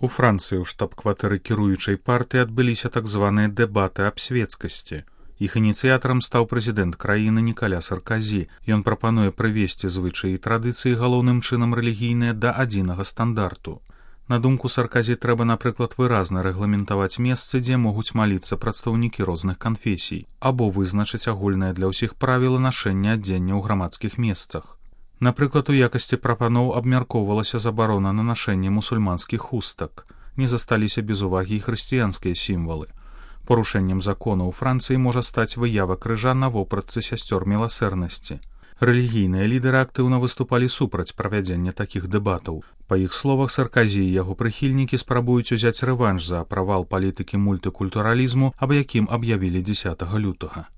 У Францыі ў штаб-кватэры кіруючай партыі адбыліся так званыя дэбаты аб свецкасці. Іх ініцыятарам стаў прэзідэнт краіны Нікаля Сарказі. Ён прапануе прывесці звычаі і традыцыі галоўным чынам рэлігійныя да адзінага стандарту. На думку Сарказі, трэба, напрыклад, выразна рэгламентаваць месцы, дзе могуць маліцца прадстаўнікі розных канфесій, або вызначыць агульнае для ўсіх правілы нашэння адзення ў грамадскіх месцах. Напрыклад, у якасці прапаноў абмяркоўвалася забарона на нашэнне мусульманскіх хустак. Не засталіся без увагі і хрысціянскія сімвалы. Парушэннем закона ў Францыі можа стаць выява крыжа на вопратцы сясцёр міласэрнасці. Рэлігійныя лідары актыўна выступалі супраць правядзення такіх дэбатаў. Па іх словах, Сарказі і яго прыхільнікі спрабуюць узяць рэванш за правал палітыкі мультыкультуралізму, аб якім аб'явілі 10 лютага.